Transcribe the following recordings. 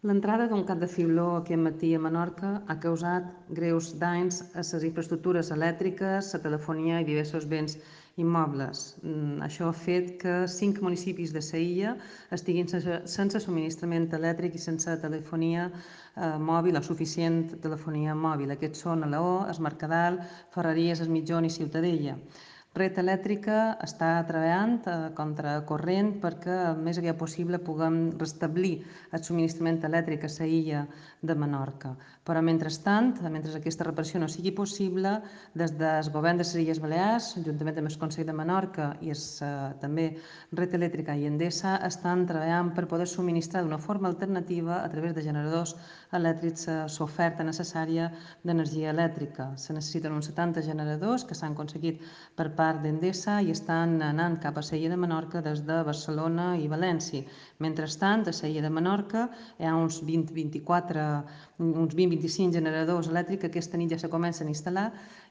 L'entrada d'un cap de fibló aquest matí a Menorca ha causat greus danys a les infraestructures elèctriques, la telefonia i diversos béns immobles. Això ha fet que 5 municipis de la illa estiguin sense subministrament elèctric i sense telefonia mòbil o suficient telefonia mòbil. Aquests són Alaó, Es Mercadal, Ferreries, Es Mitjón i Ciutadella. Red Elèctrica està treballant contra corrent perquè el més aviat possible puguem restablir el subministrament elèctric a la illa de Menorca. Però mentrestant, mentre aquesta reparació no sigui possible, des del govern de les Illes Balears, juntament amb el Consell de Menorca i també Red Elèctrica i Endesa, estan treballant per poder subministrar d'una forma alternativa a través de generadors elèctrics l'oferta necessària d'energia elèctrica. Se necessiten uns 70 generadors que s'han aconseguit per part d'Endesa i estan anant cap a la illa de Menorca des de Barcelona i València. Mentrestant, a la illa de Menorca hi ha uns 20-25 generadors elèctrics que aquesta nit ja se comencen a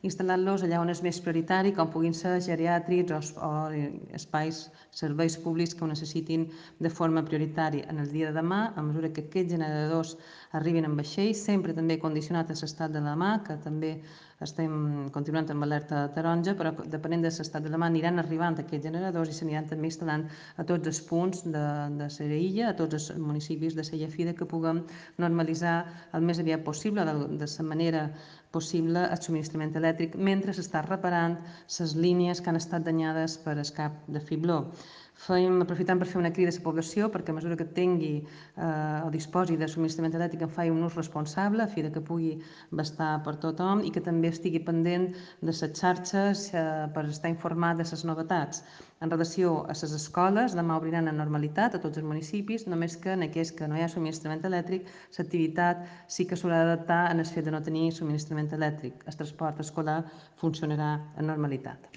instal·lant-los allà on és més prioritari, com puguin ser geriàtrics o espais, serveis públics que ho necessitin de forma prioritària. En el dia de demà, a mesura que aquests generadors arribin en vaixell, sempre també condicionat a l'estat de la mà, que també estem continuant amb alerta taronja, però depenent de l'estat de la mà aniran arribant aquests generadors i s'aniran també instal·lant a tots els punts de la illa, a tots els municipis de la Fida, que puguem normalitzar el més aviat possible, de la manera possible, el subministrament elèctric mentre s'està reparant les línies que han estat danyades per el cap de fibló. Aprofitant per fer una crida a la població perquè a mesura que tingui o disposi de subministrament elèctric en faci un ús responsable a fi que pugui bastar per tothom i que també estigui pendent de les xarxes per estar informat de les novetats. En relació a les escoles, demà obriran en normalitat a tots els municipis, només que en aquells que no hi ha subministrament elèctric, l'activitat sí que s'haurà d'adaptar en el fet de no tenir subministrament elèctric. El transport escolar funcionarà en normalitat.